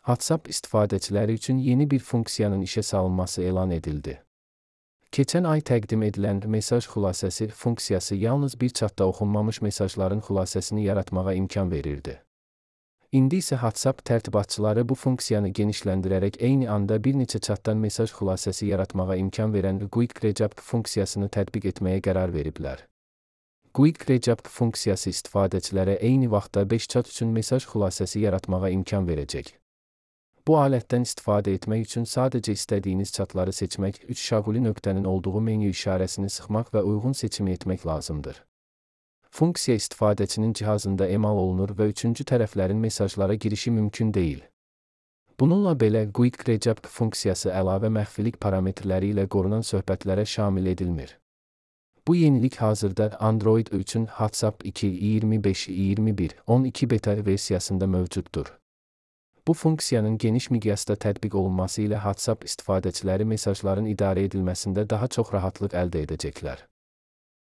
WhatsApp istifadəçiləri üçün yeni bir funksiyanın işə salınması elan edildi. Keçən ay təqdim edilən mesaj xülasəsi funksiyası yalnız bir çatda oxunmamış mesajların xülasəsini yaratmağa imkan verirdi. İndi isə WhatsApp tərtibatçıları bu funksiyanı genişləndirərək eyni anda bir neçə çatdan mesaj xülasəsi yaratmağa imkan verən Quick Recap funksiyasını tətbiq etməyə qərar veriblər. Quick Recap funksiyası istifadəçilərə eyni vaxtda 5 çat üçün mesaj xülasəsi yaratmağa imkan verəcək. Bu alətdən istifadə etmək üçün sadəcə istədiyiniz çatları seçmək, 3 şaquli nöqtənin olduğu menyu işarəsini sıxmaq və uyğun seçimi etmək lazımdır. Funksiya istifadəçinin cihazında emal olunur və üçüncü tərəflərin mesajlara girişi mümkün deyil. Bununla belə Quick Recap funksiyası əlavə məxfilik parametrləri ilə qorunan söhbətlərə şamil edilmir. Bu yenilik hazırda Android üçün WhatsApp 2.25.21.12 beta versiyasında mövcuddur. Bu funksiyanın geniş miqyasda tətbiq olunması ilə WhatsApp istifadəçiləri mesajların idarə edilməsində daha çox rahatlıq əldə edəcəklər.